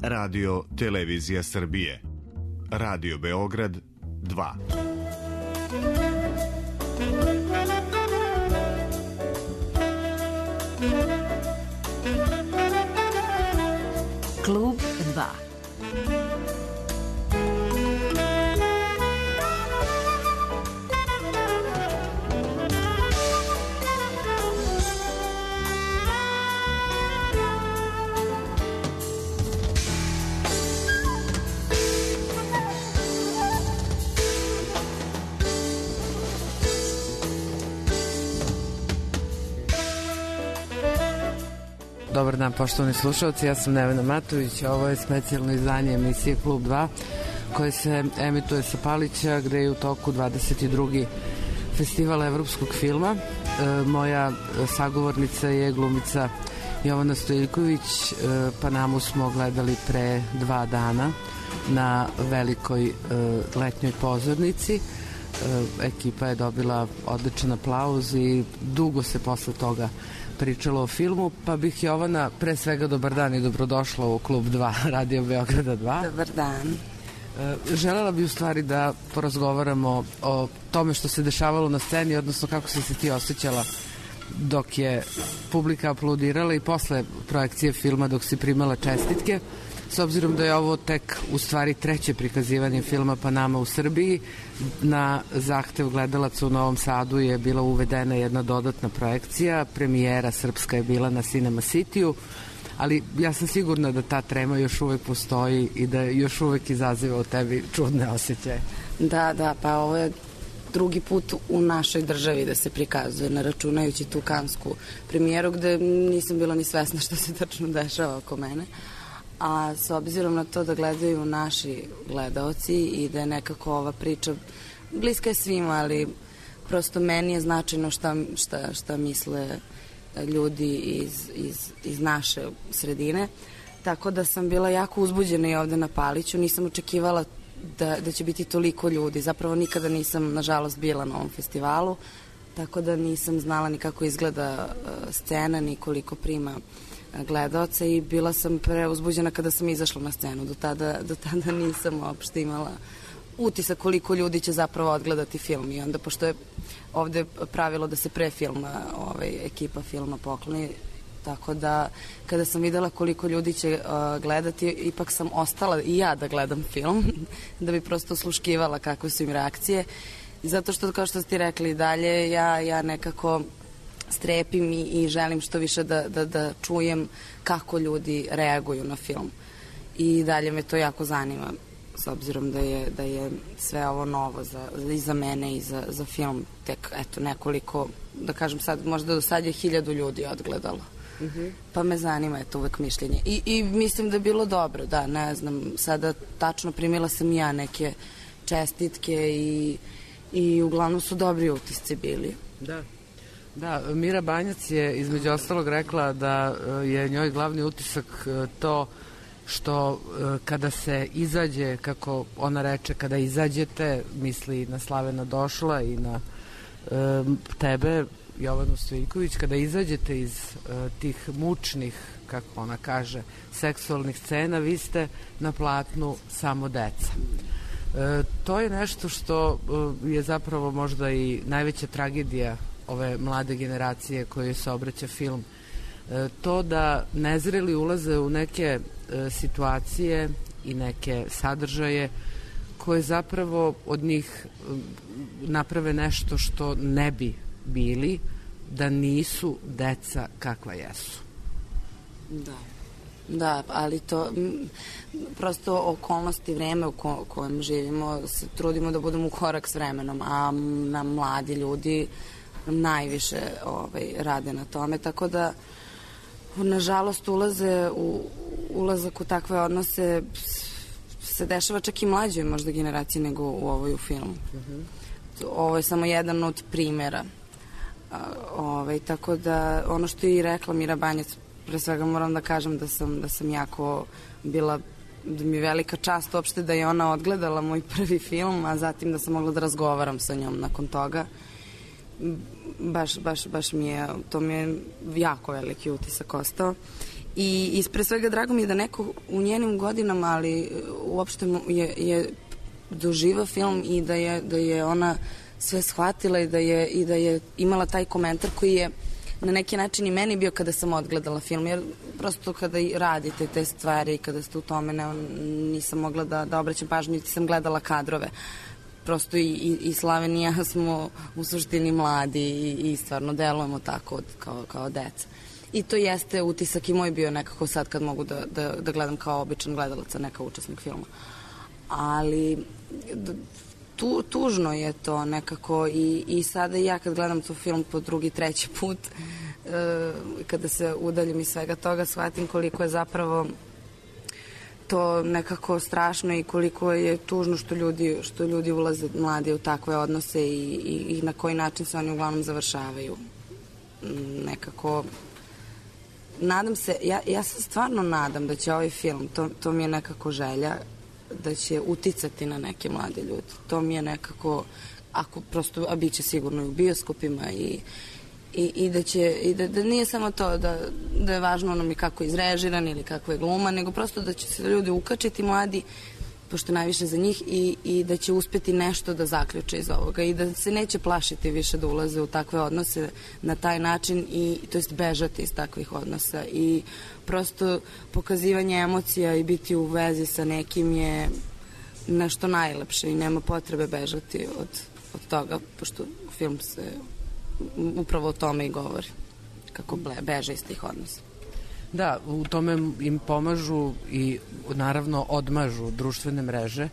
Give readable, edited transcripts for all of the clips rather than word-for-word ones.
Radio Televizija Srbije. Radio Beograd 2. Klub 2. Dobar dan, poštovani slušalci, ja sam Nevena Matović, a ovo je specijalno izdanje emisije Klub 2 koje se emituje sa Palića, gde je u toku 22. festival evropskog filma. Moja sagovornica je glumica Jovana Stojiljković. Panamu smo gledali pre 2 dana na velikoj letnjoj pozornici. Ekipa je dobila odličan aplauz i dugo se posle toga pričalo o filmu, pa bih Jovana, pre svega dobar dan i dobrodošla u Klub 2 Radio Beograda 2. Dobar dan. Želela bi u stvari da porazgovaramo o tome što se dešavalo na sceni, odnosno kako si se ti osjećala dok je publika aplaudirala i posle projekcije filma dok si primala čestitke. S obzirom da je ovo tek u stvari 3. prikazivanje filma Panama u Srbiji, na zahtev gledalaca u Novom Sadu je bila uvedena jedna dodatna projekcija, premijera srpska je bila na Cinema City-u, ali ja sam sigurna da ta trema još uvek postoji i da još uvek izaziva u tebi čudne osjećaje. Da, pa ovo je drugi put u našoj državi da se prikazuje, ne računajući tu kansku premijeru gde nisam bila ni svesna što se tačno dešava oko mene. A s obzirom na to da gledaju naši gledaoci i da je nekako ova priča bliska je svima, ali prosto meni je značajno šta misle ljudi iz naše sredine, tako da sam bila jako uzbuđena i ovde na Paliću. Nisam očekivala da će biti toliko ljudi, zapravo nikada nisam nažalost bila na ovom festivalu, tako da nisam znala ni kako izgleda scena, ni koliko prima gledaoca i bila sam preuzbuđena kada sam izašla na scenu. Do tada nisam uopšte imala utisak koliko ljudi će zapravo odgledati film i onda pošto je ovde pravilo da se pre filma ekipa filma pokloni, tako da kada sam videla koliko ljudi će gledati, ipak sam ostala i ja da gledam film da bi prosto osluškivala kakve su im reakcije, zato što kao što ste rekli dalje ja nekako strepim i želim što više da čujem kako ljudi reaguju na film i dalje me to jako zanima s obzirom da je sve ovo novo i za mene i za film tek nekoliko, da kažem sad, možda do sad je 1000 ljudi odgledalo. Pa me zanima uvek mišljenje i mislim da je bilo dobro, da, ne znam, sada tačno primila sam ja neke čestitke i uglavnom su dobri utisci bili. Da, Mira Banjac je između ostalog rekla da je njoj glavni utisak to što kada se izađe, kako ona reče, kada izađete, misli na Slavena Došla i na tebe, Jovanu Stojiljković, kada izađete iz tih mučnih, kako ona kaže, seksualnih scena, vi ste na platnu samo deca. To je nešto što je zapravo možda i najveća tragedija ove mlade generacije koje se obraća film. To da nezreli ulaze u neke situacije i neke sadržaje koje zapravo od njih naprave nešto što ne bi bili da nisu deca kakva jesu. Da, ali to prosto okolnosti, vreme u kojem živimo, se trudimo da budemo u korak s vremenom, a na mladi ljudi najviše rade na tome, tako da nažalost ulazak u takve odnose se dešava čak i mlađoj možda generaciji nego u ovoj u filmu. Ovo je samo jedan od primera. Tako da ono što je i rekla Mira Banjac, pre svega moram da kažem da sam jako bila, da mi je velika čast uopšte da je ona odgledala moj prvi film, a zatim da sam mogla da razgovaram sa njom nakon toga. Baš mi je, to mi je jako veliki utisak ostao I pre svega drago mi je da neko u njenim godinama, ali uopšte je doživa film i da je ona sve shvatila i da je imala taj komentar koji je na neki način i meni bio kada sam odgledala film, jer prosto kada radite te stvari i kada ste u tome nisam mogla da obraćam pažnju, niti sam gledala kadrove. Prosto i Slaven i ja smo u suštini mladi i stvarno delujemo tako kao deca. I to jeste utisak i moj bio nekako sad kad mogu da gledam kao običan gledalac, a ne kao učesnik filma. Ali tužno je to nekako i sada ja kad gledam tu film po drugi, treći put, kada se udaljim iz svega toga, shvatim koliko je zapravo to nekako strašno i koliko je tužno što ljudi ulaze mladi u takve odnose i na koji način se oni uglavnom završavaju. Nekako nadam se, ja se stvarno nadam da će ovaj film, to mi je nekako želja, da će uticati na neke mlade ljude. To mi je nekako, ako prosto, a bit će sigurno i u bioskopima i da nije samo to da je važno ono mi kako je izrežiran ili kako je gluma, nego prosto da će se ljudi ukačiti mladi, pošto najviše za njih, i da će uspeti nešto da zaključe iz ovoga i da se neće plašiti više da ulaze u takve odnose na taj način to jest bežati iz takvih odnosa i prosto pokazivanje emocija i biti u vezi sa nekim je nešto najlepše i nema potrebe bežati od toga, pošto film se upravo o tome i govori, kako beže iz tih odnosa. Da, u tome im pomažu i naravno odmažu društvene mreže.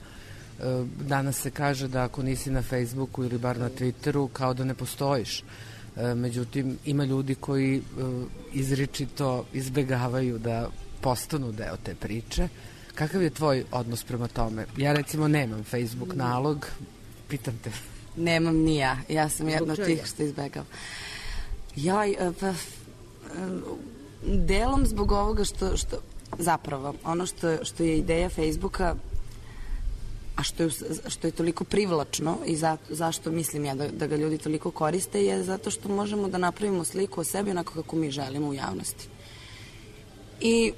Danas se kaže da ako nisi na Facebooku ili bar na Twitteru, kao da ne postojiš. Međutim, ima ljudi koji izričito izbegavaju da postanu deo te priče. Kakav je tvoj odnos prema tome? Ja recimo nemam Facebook nalog, pitam te. Nemam ni ja. Ja sam jedna od tih što izbegavam. Delom zbog ovoga što zapravo ono što je ideja Facebooka, a što je toliko privlačno i zašto mislim ja da ga ljudi toliko koriste, je zato što možemo da napravimo sliku o sebi onako kako mi želimo u javnosti. I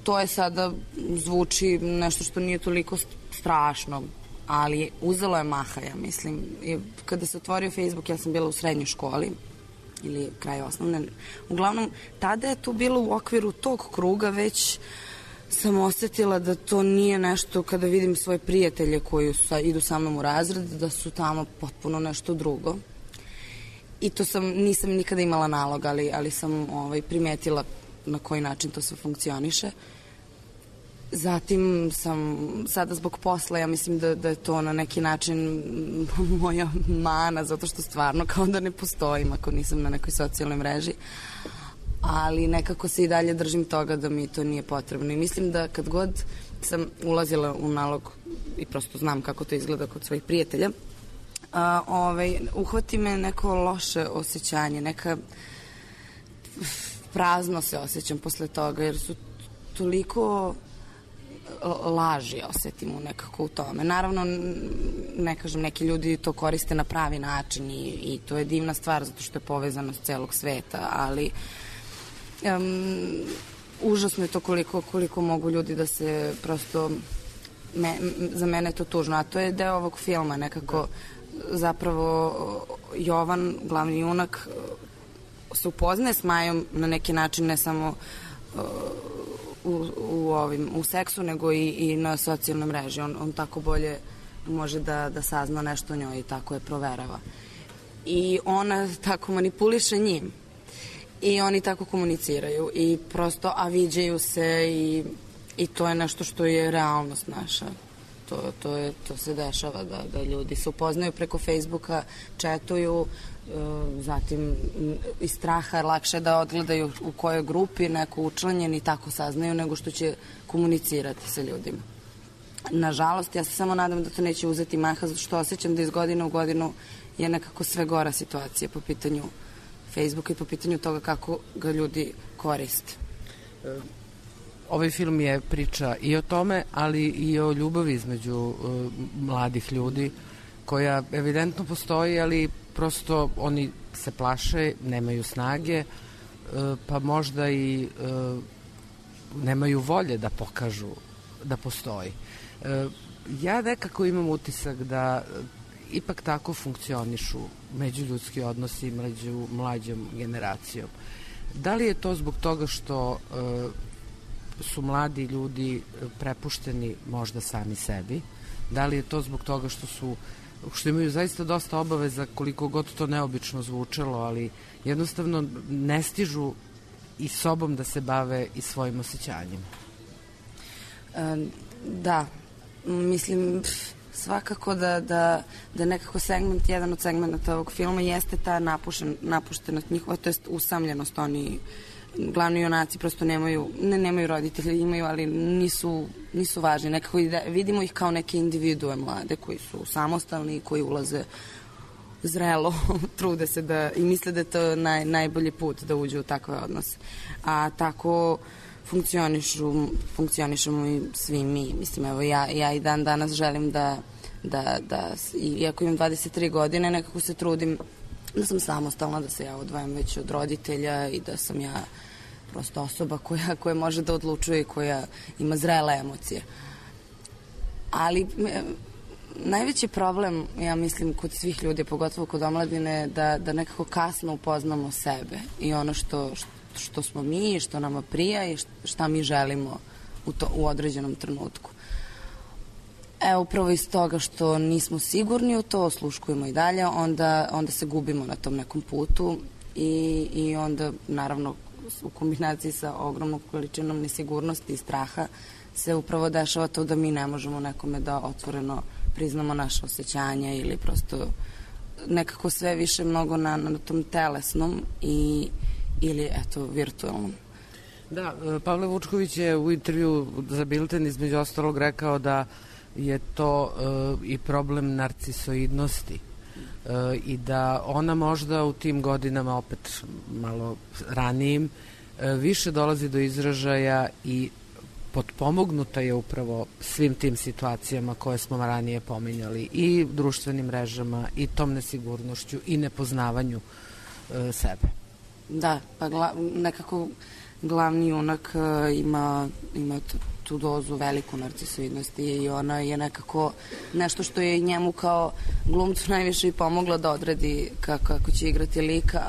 to je sada zvuči nešto što nije toliko strašno, ali uzelo je maha, ja mislim. Kada se otvorio Facebook, ja sam bila u srednjoj školi ili kraj osnovne. Uglavnom, tada je to bilo u okviru tog kruga, već sam osetila da to nije nešto, kada vidim svoje prijatelje koji idu sa mnom u razred, da su tamo potpuno nešto drugo. I to nisam nikada imala nalog, ali sam primetila na koji način to sve funkcioniše. Zatim sam sada zbog posla, ja mislim da je to na neki način moja mana, zato što stvarno kao da ne postojim ako nisam na nekoj socijalnoj mreži, ali nekako se i dalje držim toga da mi to nije potrebno i mislim da kad god sam ulazila u nalog i prosto znam kako to izgleda kod svojih prijatelja, uhvati me neko loše osjećanje, neka prazno se osjećam posle toga, jer su toliko laži osetim nekako u tome. Naravno, ne kažem, neki ljudi to koriste na pravi način i to je divna stvar zato što je povezanost celog sveta, ali užasno je to koliko mogu ljudi da se prosto za mene je to tužno, a to je deo ovog filma nekako. Zapravo Jovan, glavni junak, se upoznaje s Majom na neki način, ne samo u seksu, nego i na socijalnoj mreži. On tako bolje može da sazna nešto o njoj i tako je proverava. I ona tako manipuliše njim. I oni tako komuniciraju i prosto, a viđaju se i to je nešto što je realnost naša. To se dešava da ljudi se upoznaju preko Facebooka, četuju, zatim iz straha lakše da odgledaju u kojoj grupi neko učlanjen i tako saznaju nego što će komunicirati sa ljudima. Nažalost, ja se samo nadam da to neće uzeti maha, zato što osjećam da iz godine u godinu je nekako sve gora situacija po pitanju Facebooka i po pitanju toga kako ga ljudi koriste. Ovaj film je priča i o tome, ali i o ljubavi između mladih ljudi, koja evidentno postoji, ali prosto oni se plaše, nemaju snage, pa možda i nemaju volje da pokažu da postoji. Ja nekako imam utisak da ipak tako funkcionišu međuljudski odnosi među mlađom generacijom. Da li je to zbog toga što su mladi ljudi prepušteni možda sami sebi? Da li je to zbog toga što imaju zaista dosta obaveza, koliko god to neobično zvučalo, ali jednostavno ne stižu i sobom da se bave i svojim osjećanjima? Da, mislim svakako da nekako jedan od segmenta ovog filma jeste ta napuštenost njihova, to jest usamljenost. Oni glavni junaci prosto nemaju roditelje, imaju, ali nisu važni. Nekako vidimo ih kao neke individue mlade koji su samostalni i koji ulaze zrelo, trude se i misle da je to najbolji put da uđu u takve odnose. A tako funkcionišemo i svi mi. Mislim, evo, ja i dan danas želim da iako imam 23 godine, nekako se trudim da sam samostalna, da se ja odvajam već od roditelja i da sam ja prosto osoba koja može da odlučuje i koja ima zrele emocije. Ali najveći problem, ja mislim, kod svih ljudi, pogotovo kod omladine, da nekako kasno upoznamo sebe i ono što smo mi, što nama prija i šta mi želimo u određenom trenutku. Upravo iz toga što nismo sigurni u to, osluškujemo i dalje, onda se gubimo na tom nekom putu i onda, naravno, u kombinaciji sa ogromnom količinom nesigurnosti i straha se upravo dešava to da mi ne možemo nekome da otvoreno priznamo naše osjećanja ili prosto nekako sve više mnogo na tom telesnom ili eto virtualnom. Da, Pavle Vučković je u intervju za Bilten između ostalog rekao da je to i problem narcisoidnosti i da ona možda u tim godinama, opet malo ranijim, više dolazi do izražaja i potpomognuta je upravo svim tim situacijama koje smo ranije pominjali, i društvenim mrežama, i tom nesigurnošću, i nepoznavanju sebe. Da, pa nekako glavni junak ima tu dozu veliku narcisoidnosti i ona je nekako nešto što je njemu kao glumcu najviše i pomoglo da odredi kako će igrati lika,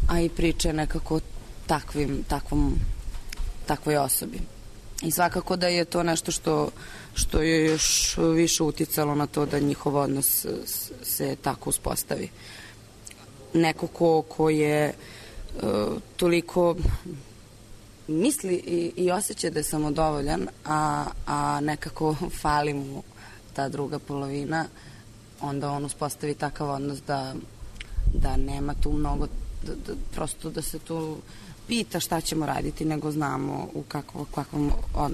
a i priče nekako takvoj osobi. I svakako da je to nešto što je još više uticalo na to da njihov odnos se tako uspostavi. Neko ko je toliko misli i osjeća da je samodovoljan, a nekako fali mu ta druga polovina, onda on uspostavi takav odnos da nema tu mnogo, prosto da se tu pita šta ćemo raditi, nego znamo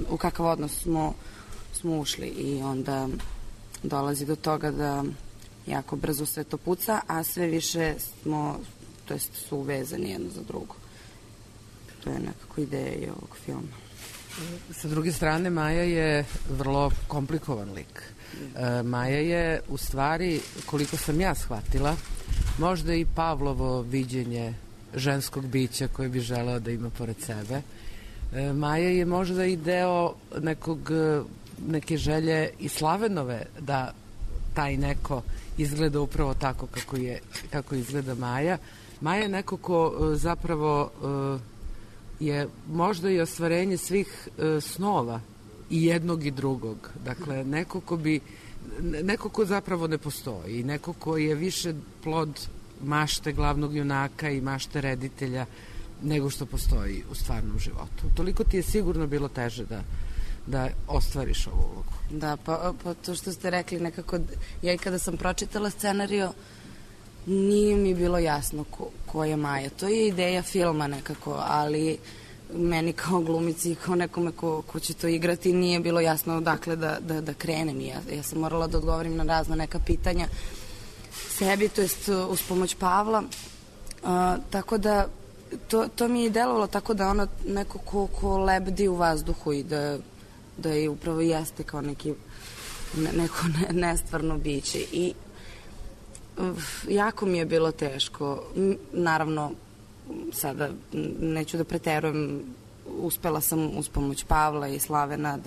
u kakav odnos smo ušli i onda dolazi do toga da jako brzo sve to puca, a sve više su uvezani jedno za drugo. To je nekako ideja i ovog filma. Sa druge strane, Maja je vrlo komplikovan lik. Maja je, u stvari, koliko sam ja shvatila, možda i Pavlovo viđenje ženskog bića koje bi želeo da ima pored sebe. Maja je možda i deo neke želje i Slavenove da taj neko izgleda upravo tako kako izgleda Maja. Maja je neko ko zapravo je možda i ostvarenje svih snova i jednog i drugog. Dakle, neko ko zapravo ne postoji i neko ko je više plod mašte glavnog junaka i mašte reditelja nego što postoji u stvarnom životu. Toliko ti je sigurno bilo teže da ostvariš ovu ulogu. Da, pa to što ste rekli nekako, ja i kada sam pročitala scenario, nije mi bilo jasno ko je Maja. To je ideja filma nekako, ali meni kao glumici i kao nekome ko će to igrati nije bilo jasno odakle da krenem. Ja sam morala da odgovorim na razna neka pitanja sebi, to jest uz pomoć Pavla. Tako da to mi je delovalo tako da ono neko ko lebdi u vazduhu i da je upravo jeste kao neko nestvarno biće. I jako mi je bilo teško. Naravno, sada neću da preterujem, uspela sam uz pomoć Pavla i Slavena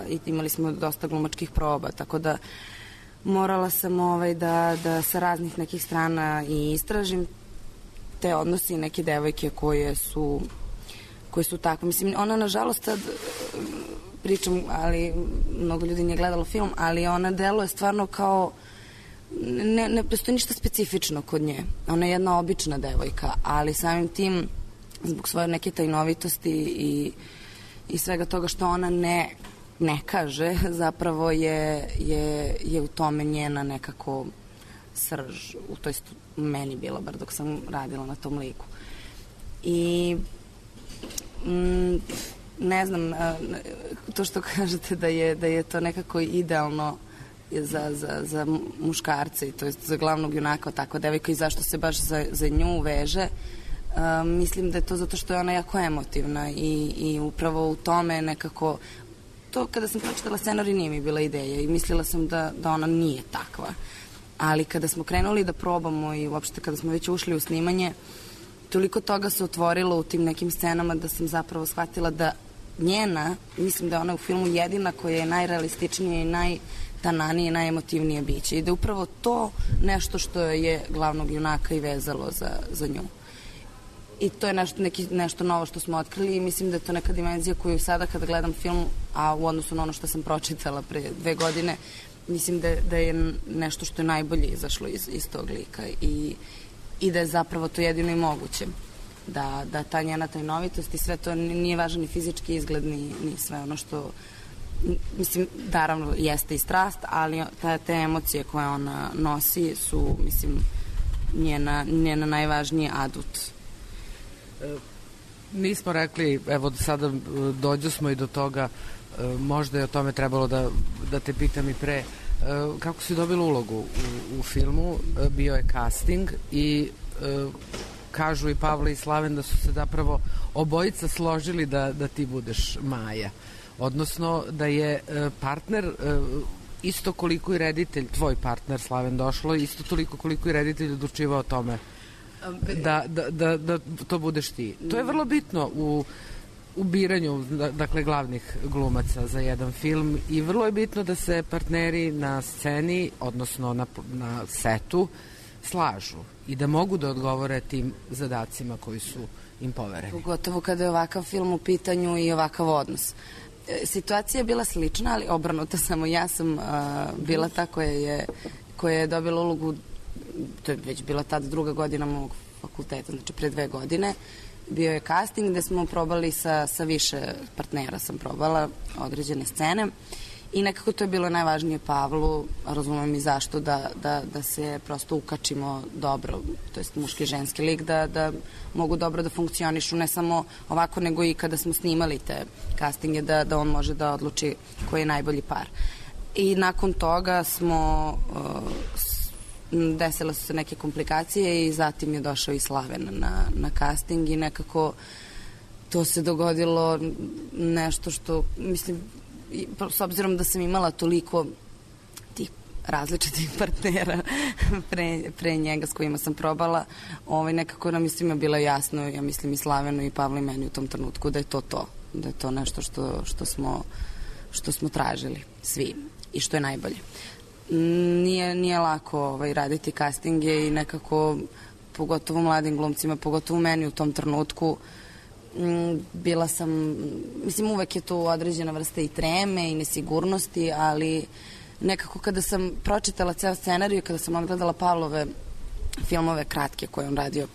i imali smo dosta glumačkih proba, tako da morala sam da sa raznih nekih strana i istražim te odnosi neke devojke koje su takve. Mislim, ona nažalost sad pričam, ali mnogo ljudi nije gledalo film, ali ona deluje stvarno kao ne postoji ništa specifično kod nje. Ona je jedna obična devojka, ali samim tim zbog svoje neke tajnovitosti i svega toga što ona ne kaže, zapravo je u tome njena nekako srž, to jest meni bila, bar dok sam radila na tom liku. I ne znam, to što kažete da je to nekako idealno za muškarce, to jest za glavnog junaka, takva devojka, i zašto se baš za nju veže. Mislim da je to zato što je ona jako emotivna i upravo u tome nekako to kada sam pročitala scenarij nije mi bila ideja i mislila sam da ona nije takva. Ali kada smo krenuli da probamo i uopšte kada smo već ušli u snimanje, toliko toga se otvorilo u tim nekim scenama da sam zapravo shvatila da mislim da je ona u filmu jedina koja je najrealističnija i najtananije i najemotivnije biće i da je upravo to nešto što je glavnog junaka i vezalo za nju. I to je nešto novo što smo otkrili i mislim da je to neka dimenzija koju sada kada gledam film, a u odnosu na ono što sam pročitala pre 2 godine, mislim da je nešto što je najbolje izašlo iz tog lika i da je zapravo to jedino i moguće. Da ta njena tajnovitost i sve to nije važan ni fizički izgled, ni sve ono što, mislim, naravno jeste i strast, ali te emocije koje ona nosi su, mislim, njena najvažniji adut. Nismo rekli, evo sada dođo smo i do toga, možda je o tome trebalo da te pitam i pre, kako si dobila ulogu u filmu, bio je casting i kažu i Pavle i Slaven da su se zapravo obojica složili da ti budeš Maja, odnosno da je partner isto koliko i reditelj, tvoj partner Slaven Došlo, isto toliko koliko i reditelj odlučivao o tome da to budeš ti. To je vrlo bitno u biranju, dakle, glavnih glumaca za jedan film i vrlo je bitno da se partneri na sceni, odnosno na setu, slažu i da mogu da odgovore tim zadacima koji su im povereni. Pogotovo kada je ovakav film u pitanju i ovakav odnos. Situacija je bila slična, ali obrnuta, samo ja sam bila ta koja je dobila ulogu, to je već bila tada 2. godina mog fakulteta, znači pre 2 godine. Bio je casting gde smo probali sa više partnera, sam probala određene scene i nekako to je bilo najvažnije Pavlu, razumem i zašto, da se prosto ukačimo dobro, to jest muški i ženski lik, da mogu dobro da funkcionišu, ne samo ovako, nego i kada smo snimali te castinge, da on može da odluči koji je najbolji par. I nakon toga desile su se neke komplikacije i zatim je došao i Slaven na casting i nekako to se dogodilo nešto što, mislim, s obzirom da sam imala toliko tih različitih partnera pre njega s kojima sam probala, nekako nam je svima bilo jasno, ja mislim i Slavenu i Pavlu i meni u tom trenutku da je to da je to nešto što smo tražili svi i što je najbolje. Nije lako raditi castinge i nekako, pogotovo mladim glumcima, pogotovo meni u tom trenutku, bila sam, mislim, uvek je to određena vrsta i treme i nesigurnosti, ali nekako kada sam pročitala ceo scenariju, kada sam odgledala Pavlove filmove kratke koje on radio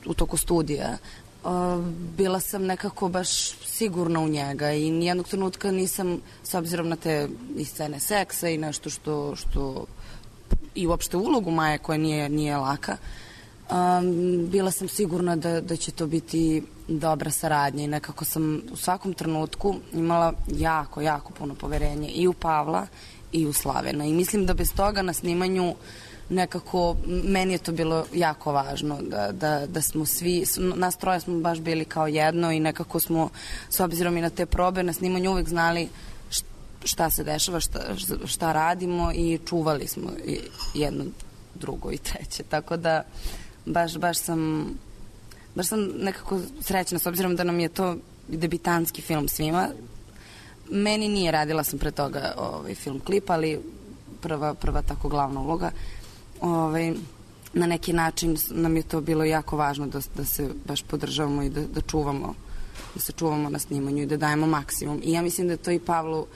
u toku studija, bila sam nekako baš sigurna u njega i nijednog trenutka nisam, s obzirom na te i scene seksa i nešto što i uopšte ulogu Maje koja nije laka, bila sam sigurna da će to biti dobra saradnja i nekako sam u svakom trenutku imala jako puno poverenja i u Pavla i u Slavena i mislim da bez toga na snimanju nekako, meni je to bilo jako važno da smo svi, nas troje smo baš bili kao jedno i nekako smo, s obzirom i na te probe na snimanju, uvek znali šta se dešava, šta radimo i čuvali smo jedno, drugo i treće, tako da baš sam baš sam nekako srećna, s obzirom da nam je to debitanski film svima. Meni nije, radila sam pre toga film klip, ali prva tako glavna uloga. Na neki način nam je to bilo jako važno da se baš podržavamo i da se čuvamo na snimanju i da dajemo maksimum. I ja mislim da je to i Pavlu,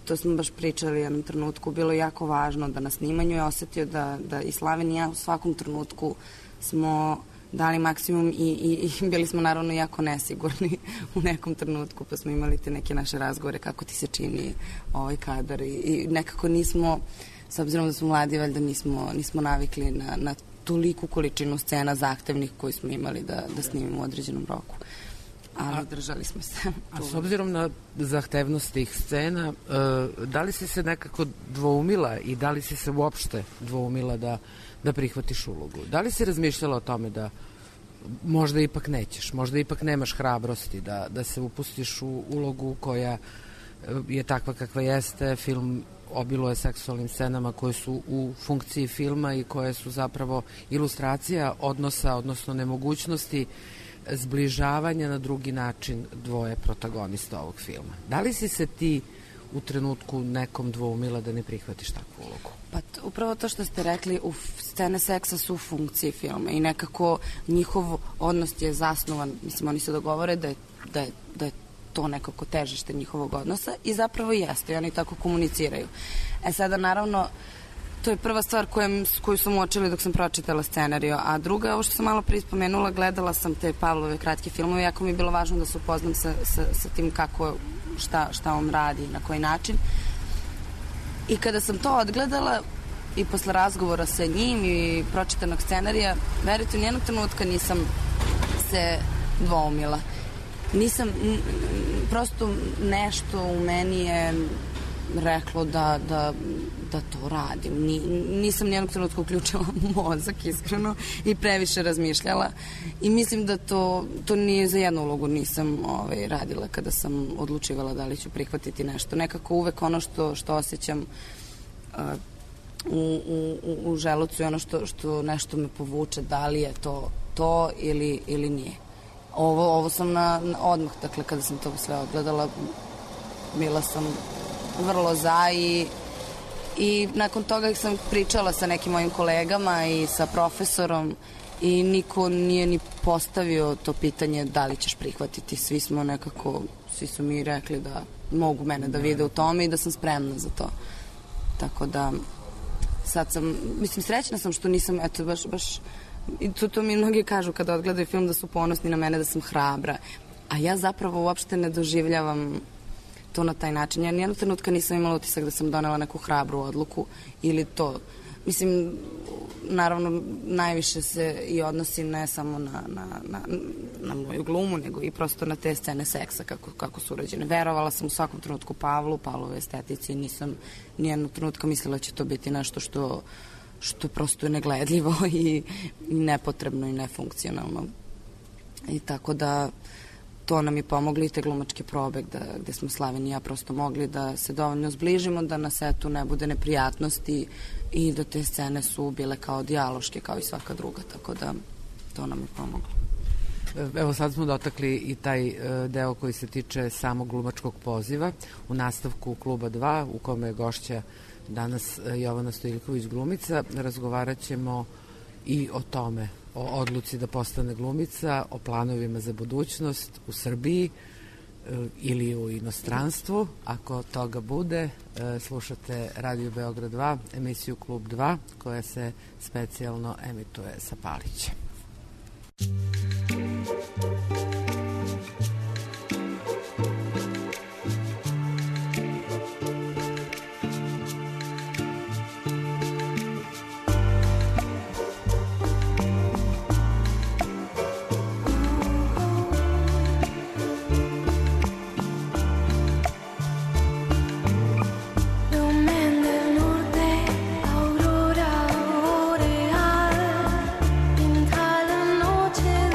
to smo baš pričali u jednom trenutku, bilo jako važno da na snimanju je osetio da i Slaven i ja u svakom trenutku smo dali maksimum i bili smo naravno jako nesigurni u nekom trenutku, pa smo imali te neke naše razgovore kako ti se čini ovaj kadar i nekako nismo, s obzirom da smo mladi, valjda nismo navikli na toliku količinu scena zahtevnih koji smo imali da snimimo u određenom roku. Ali držali smo se. A s obzirom na zahtevnost tih scena, da li si se nekako dvoumila i da li si se uopšte dvoumila da prihvatiš ulogu? Da li si razmišljala o tome da možda ipak nećeš, možda ipak nemaš hrabrosti da se upustiš u ulogu koja je takva kakva jeste, film obiluje seksualnim scenama koje su u funkciji filma i koje su zapravo ilustracija odnosa, odnosno nemogućnosti zbližavanja na drugi način dvoje protagonista ovog filma. Da li si se ti u trenutku nekom dvoumila da ne prihvatiš takvu ulogu? Pa upravo to što ste rekli, scene seksa su u funkciji filma i nekako njihov odnos je zasnovan, mislim, oni se dogovore da je to nekako težište njihovog odnosa i zapravo jeste i oni tako komuniciraju. Sada naravno to je prva stvar koju sam uočila dok sam pročitala scenariju, a druga, ovo što sam malo prije spomenula, gledala sam te Pavlove kratke filmove, jako mi je bilo važno da se upoznam sa tim kako, šta on radi, na koji način. I kada sam to odgledala i posle razgovora sa njim i pročitanog scenarija, verujte, u nijednog trenutka nisam se dvoumila. Prosto nešto u meni je reklo da to radim. Nisam nijednog trenutka uključila mozak, iskreno, i previše razmišljala. I mislim da to nije za jednu ulogu nisam radila kada sam odlučivala da li ću prihvatiti nešto. Nekako uvek ono što osjećam u želucu i ono što nešto me povuče, da li je to ili nije. Ovo sam odmah, dakle, kada sam to sve odgledala, bila sam vrlo za i nakon toga sam pričala sa nekim mojim kolegama i sa profesorom i niko nije ni postavio to pitanje da li ćeš prihvatiti. Svi su mi rekli da mogu mene da vide u tome i da sam spremna za to. Tako da sad sam, mislim, srećna sam što nisam, eto, baš i to mi mnogi kažu kada odgledaju film da su ponosni na mene, da sam hrabra. A ja zapravo uopšte ne doživljavam to na taj način. Ja nijednog trenutka nisam imala utisak da sam donela neku hrabru odluku ili to. Mislim, naravno, najviše se i odnosi ne samo na moju glumu, nego i prosto na te scene seksa, kako su urađene. Verovala sam u svakom trenutku Pavlove estetici i nisam nijednog trenutka mislila da će to biti nešto što prosto je negledljivo i nepotrebno i nefunkcionalno. I tako da to nam je pomoglo i te glumačke probe gde smo Slaven i ja prosto mogli da se dovoljno zbližimo, da na setu ne bude neprijatnosti i da te scene su bile kao dijaloške, kao i svaka druga, tako da to nam je pomoglo. Evo sad smo dotakli i taj deo koji se tiče samog glumačkog poziva u nastavku Kluba 2 u kome je gošća danas Jovana Stojiljković glumica. Razgovarat ćemo i o tome, o odluci da postane glumica, o planovima za budućnost u Srbiji ili u inostranstvu. Ako toga bude, slušate Radio Beograd 2, emisiju Klub 2, koja se specijalno emituje sa Palićem. Noche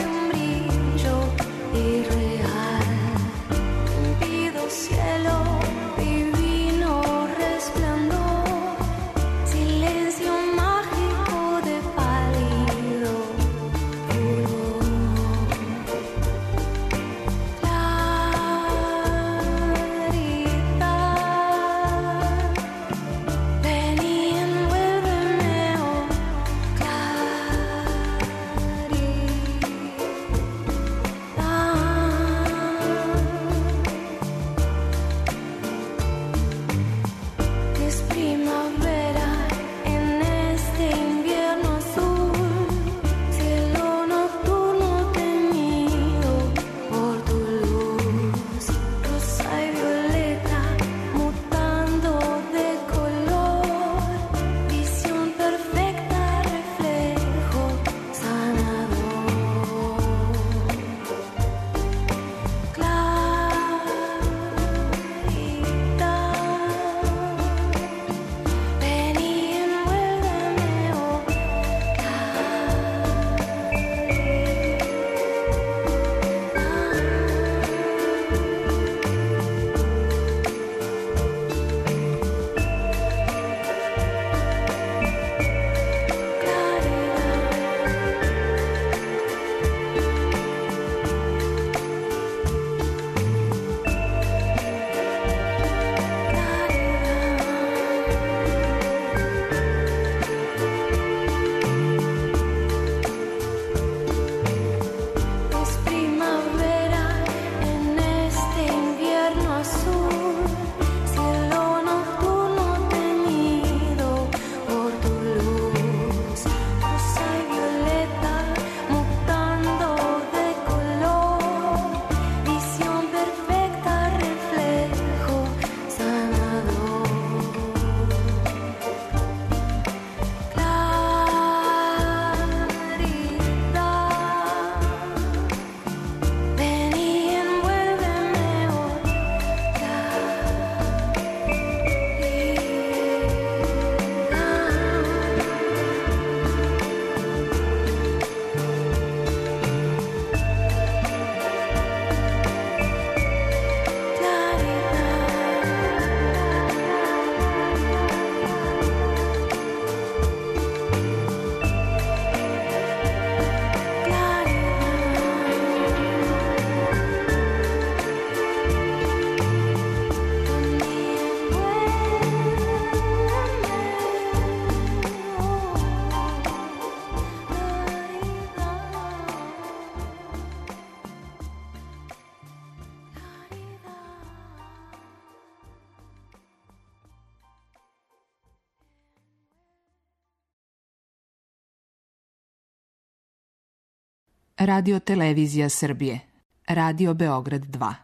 Radio Televizija Srbije. Radio Beograd 2.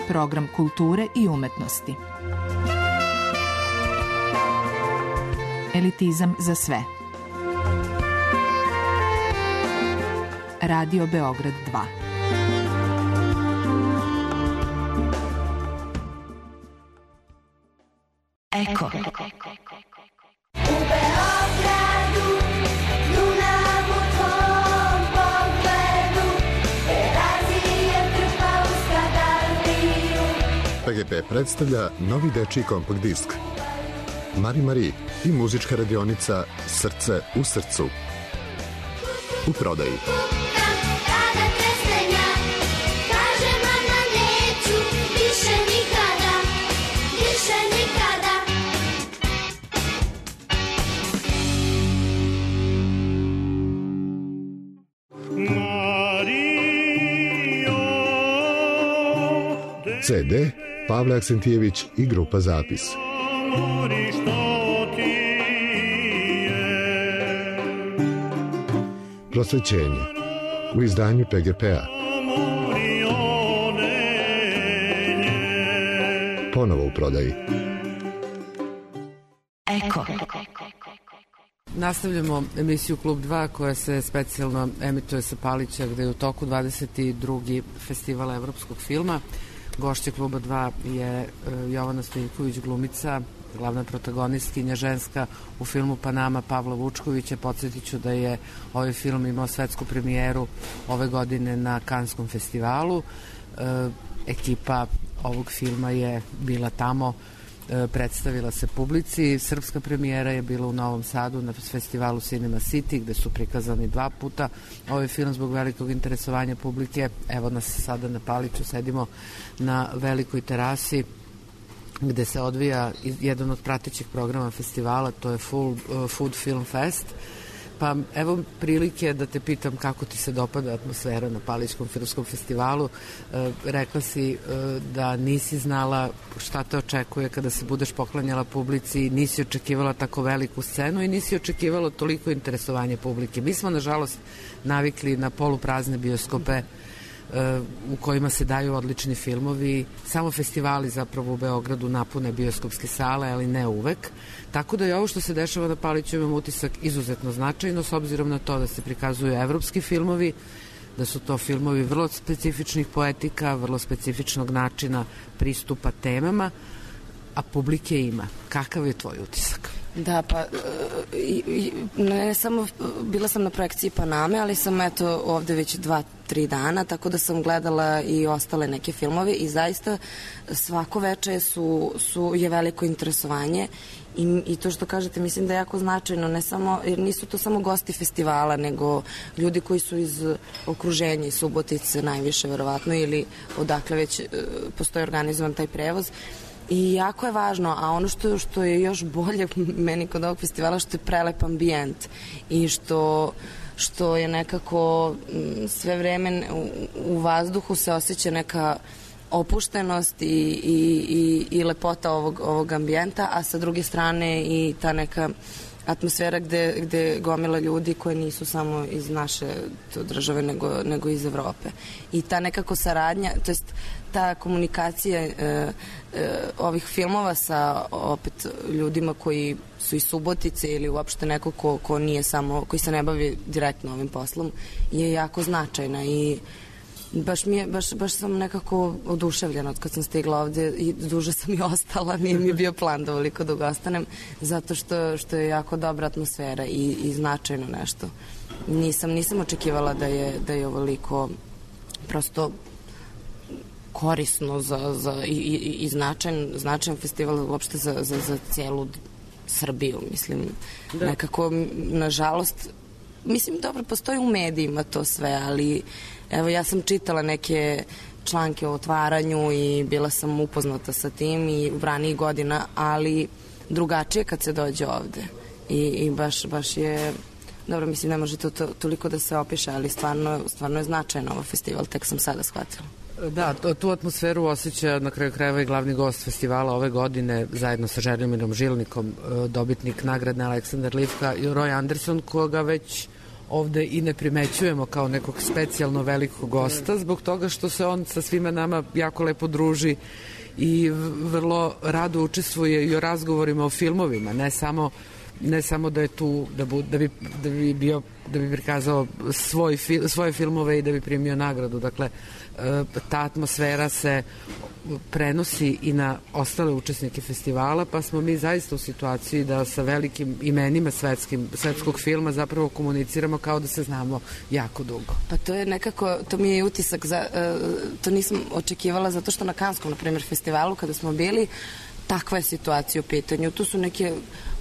Program kulture i umetnosti. Elitizam za sve. Radio Beograd 2. Eko. U Beogradu, Dunav u tvom pogledu, Terazije trpa u skadaliju. PGP predstavlja novi dečiji kompakt disk Mari i muzička radionica Srce u srcu. U prodaji. Kada trestenja, kaže mama neću, više nikada, više nikada. CD Pavle Aksentijević i grupa Zapis. Prosvećenje u izdanju PGP-a. Ponovo u prodaji. Eko. Nastavljamo emisiju Klub 2 koja se specijalno emituje sa Palića gde je u toku 22. festivala evropskog filma. Gošća Kluba 2 je Jovana Stojiljković, glumica, glavna protagonistkinja ženska u filmu Panama Pavla Vučkovića. Podsjetit ću da je ovaj film imao svetsku premijeru ove godine na Kanskom festivalu. Ekipa ovog filma je bila tamo, predstavila se publici. Srpska premijera je bila u Novom Sadu na festivalu Cinema City gde su prikazani 2 puta ovaj film zbog velikog interesovanja publike. Evo nas sada na Paliću, sedimo na velikoj terasi gde se odvija jedan od pratećih programa festivala, to je Food Film Fest. Pa evo prilike da te pitam kako ti se dopada atmosfera na Palićkom filmskom festivalu. Rekla si da nisi znala šta te očekuje kada se budeš poklanjala publici, nisi očekivala tako veliku scenu i nisi očekivala toliko interesovanje publike. Mi smo nažalost navikli na poluprazne bioskope u kojima se daju odlični filmovi. Samo festivali zapravo u Beogradu napune bioskopske sale, ali ne uvek. Tako da je ovo što se dešava na Paliću, imam utisak, izuzetno značajno s obzirom na to da se prikazuju evropski filmovi, da su to filmovi vrlo specifičnih poetika, vrlo specifičnog načina pristupa temama, a publike ima. Kakav je tvoj utisak? Da, pa ne samo, bila sam na projekciji Paname, ali sam eto ovde već 2-3 dana, tako da sam gledala i ostale neke filmove i zaista svako veče je veliko interesovanje i to što kažete mislim da je jako značajno, ne samo, jer nisu to samo gosti festivala, nego ljudi koji su iz okruženja, iz Subotice najviše verovatno ili odakle već postoji organizovan taj prevoz. I jako je važno, a ono što je još bolje meni kod ovog festivala, što je prelep ambijent i što je nekako sve vreme u vazduhu se osjeća neka opuštenost i lepota ovog ambijenta, a sa druge strane i ta neka atmosfera gde gomila ljudi koji nisu samo iz naše države nego iz Evrope. I ta nekako saradnja, to jest ta komunikacija ovih filmova sa opet ljudima koji su iz Subotice ili uopšte neko ko nije samo, koji se ne bavi direktno ovim poslom, je jako značajna i baš sam nekako oduševljena od kad sam stigla ovde i duže sam i ostala, nije mi bio plan da ovoliko dugo ostanem, zato što je jako dobra atmosfera i značajno nešto. Nisam očekivala da je ovoliko prosto korisno i značajan festival uopšte za cijelu Srbiju, mislim. Da. Nekako, nažalost, mislim, dobro, postoji u medijima to sve, ali evo, ja sam čitala neke članke o otvaranju i bila sam upoznata sa tim i u ranijih godina, ali drugačije kad se dođe ovde. I baš je, dobro, mislim, ne može to toliko da se opiše, ali stvarno je značajno ovo festival, tek sam sada shvatila. Da, tu atmosferu osjeća na kraju krajeva i glavni gost festivala ove godine zajedno sa Želimirom Žilnikom, dobitnik nagradne Aleksandar Livka i Roy Anderson, koga već ovde i ne primećujemo kao nekog specijalno velikog gosta zbog toga što se on sa svima nama jako lepo druži i vrlo rado učestvuje i o razgovorima o filmovima, ne samo da je tu da bi prikazao svoje filmove i da bi primio nagradu. Dakle, ta atmosfera se prenosi i na ostale učesnike festivala, pa smo mi zaista u situaciji da sa velikim imenima svetskog filma zapravo komuniciramo kao da se znamo jako dugo. Pa to je nekako, to mi je utisak, to nisam očekivala zato što na Kanskom, na primjer, festivalu kada smo bili, takva je situacija u pitanju. Tu su neke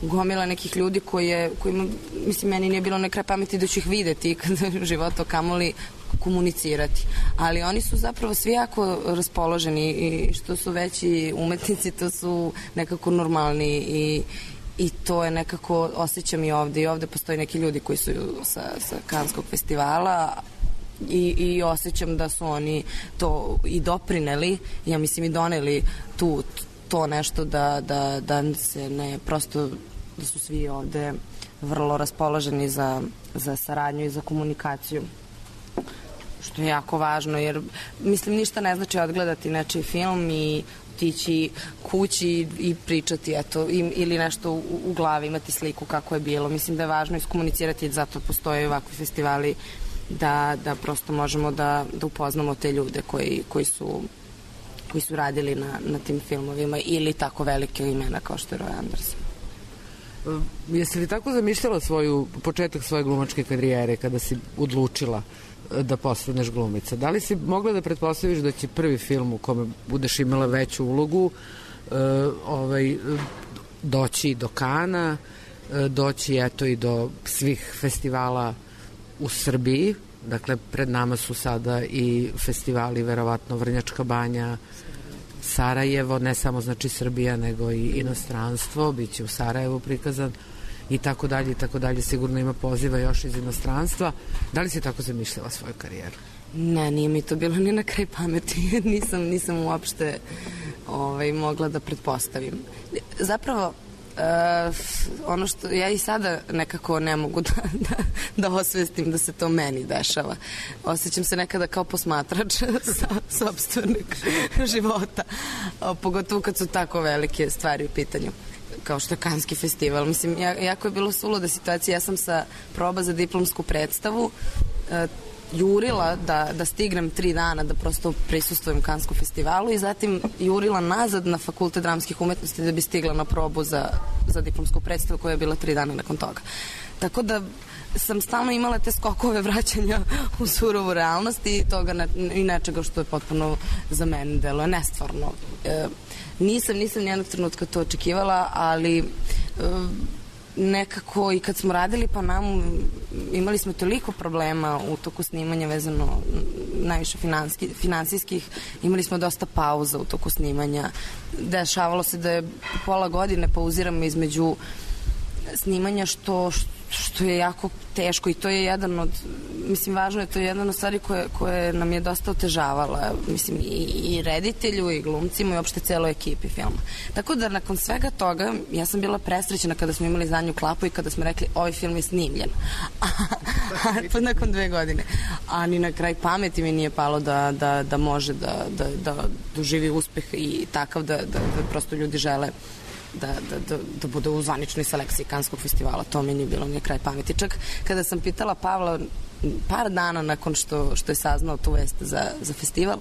gomila nekih ljudi kojima, mislim, meni nije bilo na kraj pameti da ću ih videti kada u životu kamoli komunicirati. Ali oni su zapravo svi jako raspoloženi i što su veći umetnici, to su nekako normalni i to je nekako, osjećam i ovde postoje neki ljudi koji su sa Kanskog festivala i osjećam da su oni to i doprineli, ja mislim i doneli to nešto da se ne, prosto da su svi ovde vrlo raspoloženi za saradnju i za komunikaciju, što je jako važno, jer mislim ništa ne znači odgledati nečiji film i otići kući i pričati eto, ili nešto u glavi, imati sliku kako je bilo. Mislim da je važno iskomunicirati, zato postoje ovakvi festivali da prosto možemo da upoznamo te ljude koji su radili na tim filmovima ili tako velike imena kao što je Roy Anderson. Jesi li tako zamišljala početak svoje glumačke karijere kada si odlučila da postaneš glumica? Da li si mogla da pretpostaviš da će prvi film u kome budeš imala veću ulogu doći do Kana, doći eto i do svih festivala u Srbiji? Dakle, pred nama su sada i festivali, verovatno Vrnjačka Banja, Sarajevo, ne samo znači Srbija, nego i inostranstvo, biće u Sarajevu prikazan i tako dalje, sigurno ima poziva još iz inostranstva. Da li si tako zamišljala svoju karijeru? Ne, nije mi to bilo ni na kraj pameti, nisam uopšte mogla da pretpostavim. Zapravo, ono što ja i sada nekako ne mogu da osvestim da se to meni dešava. Osjećam se nekada kao posmatrač sopstvenog života, pogotovo kad su tako velike stvari u pitanju kao što je Kanski festival. Mislim, jako je bilo suluda situacija. Ja sam sa proba za diplomsku predstavu jurila da stignem 3 dana da prosto prisustvujem Kanskom festivalu i zatim jurila nazad na Fakultet dramskih umetnosti da bi stigla na probu za diplomsku predstavu koja je bila 3 dana nakon toga. Tako da sam stalno imala te skokove vraćanja u surovu realnost i toga i nečega što je potpuno za mene deluje nestvarno. Nisam nijednog trenutka to očekivala, ali nekako i kad smo radili po namu imali smo toliko problema u toku snimanja vezano najviše finansijskih, imali smo dosta pauza u toku snimanja, dešavalo se da je pola godine pauziramo između snimanja što je jako teško i to je jedan od, mislim važno je, to je jedan od stvari koje nam je dosta otežavala, mislim i reditelju i glumcima i uopšte celoj ekipi filma. Tako da nakon svega toga ja sam bila presrećena kada smo imali zadnju klapu i kada smo rekli ovaj film je snimljen. Pa nakon 2 godine. A ni na kraj pameti mi nije palo da može da doživi uspeh i takav da prosto ljudi žele da bude u zvaničnoj selekciji Kanskog festivala. To mi nije bilo ni kraj pameti. Čak kada sam pitala Pavla par dana nakon što je saznao tu vest za festival,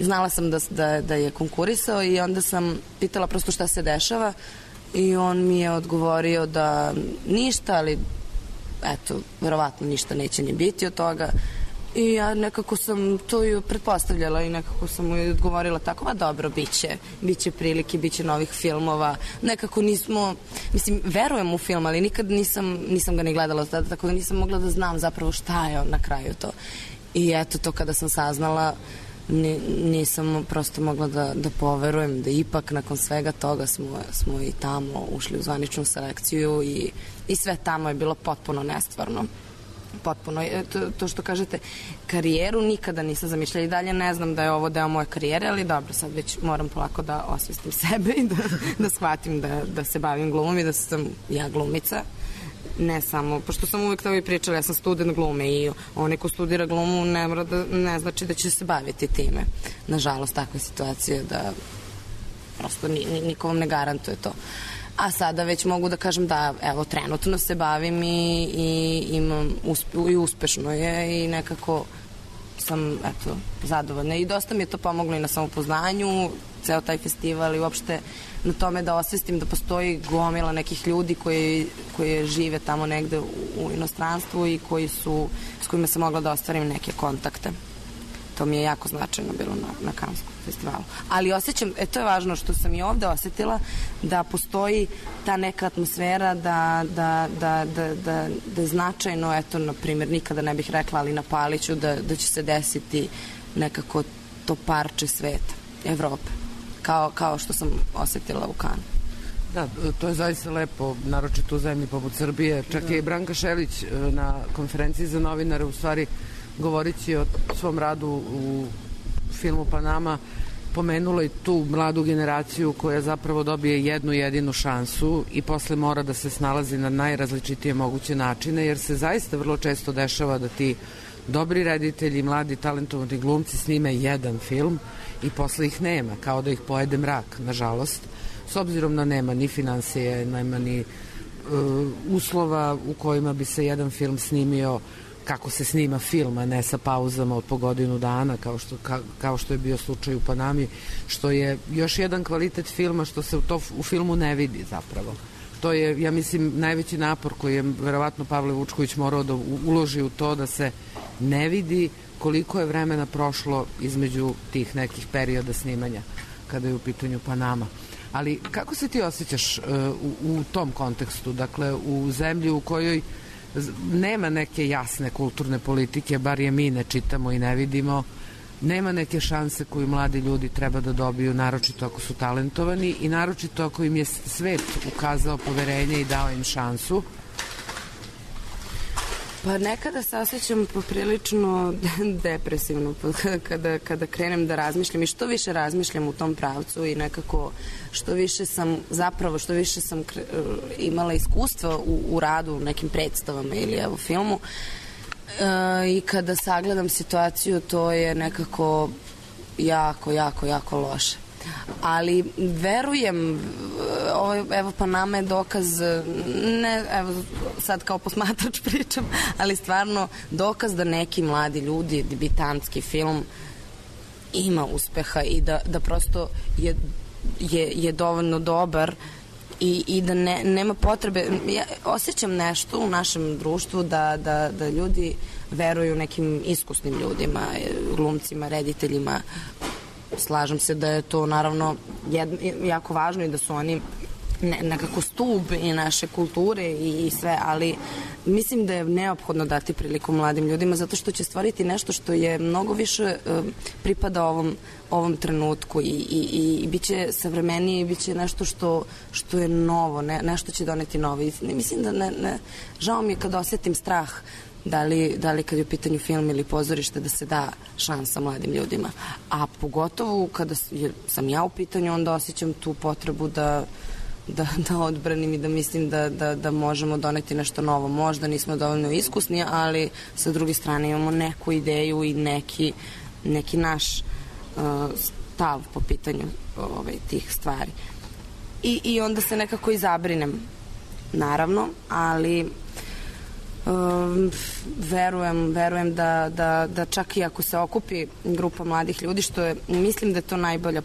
znala sam da je konkurisao i onda sam pitala prosto šta se dešava i on mi je odgovorio da ništa, ali eto, verovatno ništa neće ni biti od toga. I ja nekako sam to ju pretpostavljala i nekako sam mu odgovorila tako, a dobro, biće prilike, biće novih filmova. Nekako nismo, mislim, verujem u film, ali nikad nisam ga ni gledala tada, tako da nisam mogla da znam zapravo šta je na kraju to. I eto to kada sam saznala, nisam prosto mogla da poverujem da ipak nakon svega toga smo i tamo ušli u zvaničnu selekciju i sve tamo je bilo potpuno nestvarno. potpuno. To što kažete, karijeru nikada nisam zamišljala i dalje ne znam da je ovo deo moje karijere, ali dobro, sad već moram polako da osvestim sebe i da shvatim da se bavim glumom i da sam ja glumica. Ne samo, pošto sam uvek to i pričala, ja sam student glume i onaj ko studira glumu ne znači da će se baviti time. Nažalost, takva je situacija da prosto niko vam ne garantuje to. A sada već mogu da kažem da, evo, trenutno se bavim i imam i uspešno je i nekako sam, eto, zadovoljna. I dosta mi je to pomoglo i na samopoznanju, ceo taj festival i uopšte na tome da osvestim da postoji gomila nekih ljudi koji žive tamo negde u inostranstvu i s kojima sam mogla da ostvarim neke kontakte. To mi je jako značajno bilo na Kanskom festivalu. Ali osjećam, to je važno što sam i ovde osetila, da postoji ta neka atmosfera da je značajno, eto, na primjer, nikada ne bih rekla, ali na Paliću, da će se desiti nekako to parče sveta, Evrope, kao što sam osetila u Kanu. Da, to je zaista lepo, naročito u zemlji poput Srbije. Čak je i Branka Šelić na konferenciji za novinare, u stvari, govorići o svom radu u filmu Panama, pomenula i tu mladu generaciju koja zapravo dobije jednu jedinu šansu i posle mora da se snalazi na najrazličitije moguće načine, jer se zaista vrlo često dešava da ti dobri reditelji, mladi talentovani glumci snime jedan film i posle ih nema, kao da ih pojede mrak, nažalost, s obzirom na nema ni financije, nema ni uslova u kojima bi se jedan film snimio kako se snima film, a ne sa pauzama od po godinu dana, kao što je bio slučaj u Panami, što je još jedan kvalitet filma što se u filmu ne vidi zapravo. To je, ja mislim, najveći napor koji je verovatno Pavle Vučković morao da uloži u to da se ne vidi koliko je vremena prošlo između tih nekih perioda snimanja kada je u pitanju Panama. Ali kako se ti osjećaš u tom kontekstu, dakle u zemlji u kojoj nema neke jasne kulturne politike, bar je mi ne čitamo i ne vidimo, nema neke šanse koju mladi ljudi treba da dobiju, naročito ako su talentovani i naročito ako im je svet ukazao poverenje i dao im šansu? Pa nekada se osjećam poprilično depresivno kada krenem da razmišljam i što više razmišljam u tom pravcu i nekako što više sam imala iskustva u radu u nekim predstavama ili evo filmu i kada sagledam situaciju to je nekako jako loše. Ali verujem, evo Panama je dokaz, ne, evo sad kao posmatrač pričam, ali stvarno dokaz da neki mladi ljudi, debitanski film ima uspeha i da prosto je dovoljno dobar i da nema potrebe. Ja osjećam nešto u našem društvu da ljudi veruju nekim iskusnim ljudima, glumcima, rediteljima. Slažem se da je to naravno jako važno i da su oni nekako stub i naše kulture i sve, ali mislim da je neophodno dati priliku mladim ljudima zato što će stvoriti nešto što je mnogo više pripada ovom trenutku i bit će savremenije i bit će nešto što je novo, nešto će doneti novo. Mislim da žao mi je kad osetim strah da li kad je u pitanju film ili pozorište da se da šansa mladim ljudima. A pogotovo kada sam ja u pitanju, onda osjećam tu potrebu da odbranim i da mislim da možemo doneti nešto novo. Možda nismo dovoljno iskusni, ali sa druge strane imamo neku ideju i neki naš stav po pitanju tih stvari. I onda se nekako i zabrinem, naravno, ali verujem da čak i ako se okupi grupa mladih ljudi, što je, mislim da je to najbolja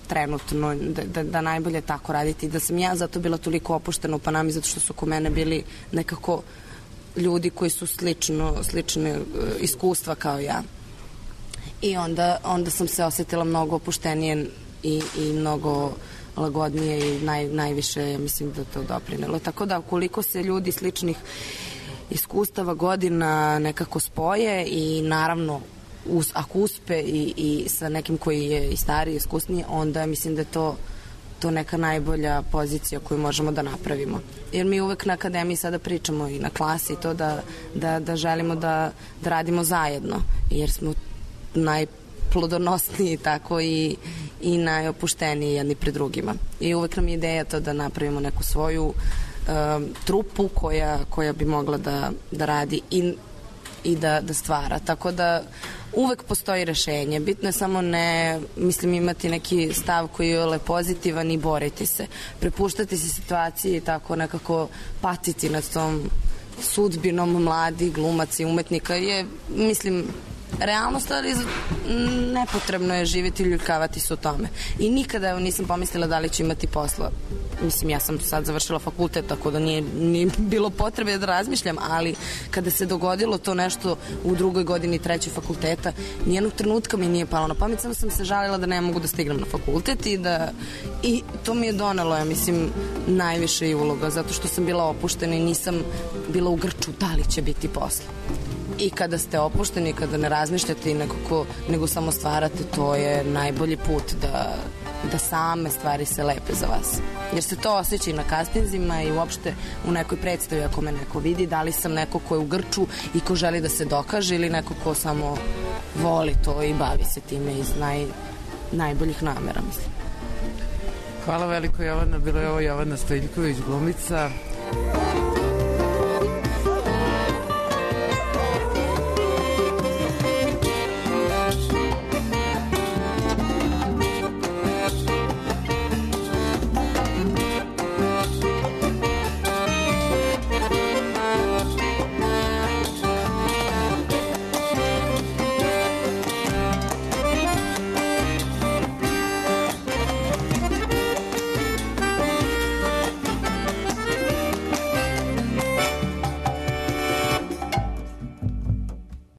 trenutno, da najbolje tako raditi, da sam ja zato bila toliko opuštena u Panami, zato što su oko mene bili nekako ljudi koji su slične iskustva kao ja. I onda sam se osetila mnogo opuštenije i mnogo lagodnije i najviše mislim da to doprinelo. Tako da ukoliko se ljudi sličnih iskustava godina nekako spoje i naravno ako uspe i sa nekim koji je i stariji, iskusniji, onda mislim da je to to neka najbolja pozicija koju možemo da napravimo. Jer mi uvek na akademiji sada pričamo i na klasi to da želimo da radimo zajedno, jer smo najplodonosniji tako i najopušteniji jedni pred drugima. I uvek nam je ideja to da napravimo neku svoju trupu koja bi mogla da radi i da stvara. Tako da uvek postoji rešenje. Bitno je samo imati neki stav koji je pozitivan i boriti se. Prepuštati se situaciji i tako nekako patiti nad tom sudbinom mladih glumaca i umetnika je, realnost, ali nepotrebno je živjeti i ljuljkavati se u tome. I nikada nisam pomislila da li ću imati posla. Ja sam sad završila fakultet, tako da nije bilo potrebe da razmišljam, ali kada se dogodilo to nešto u 2. godini 3. fakulteta, nijednog trenutka mi nije palo na pamet, samo sam se žalila da ne mogu da stignem na fakultet i to mi je donelo, najviše i uloga, zato što sam bila opuštena i nisam bila u grču da li će biti posla. I kada ste opušteni, kada ne razmišljate nego samo stvarate, to je najbolji put da same stvari se lepe za vas. Jer se to osjeća i na kastinzima i uopšte u nekoj predstavi ako me neko vidi, da li sam neko ko je u grču i ko želi da se dokaže ili neko ko samo voli to i bavi se time iz najboljih namera, Hvala veliko, Jovana. Bila je ovo Jovana Stojiljković, glumica.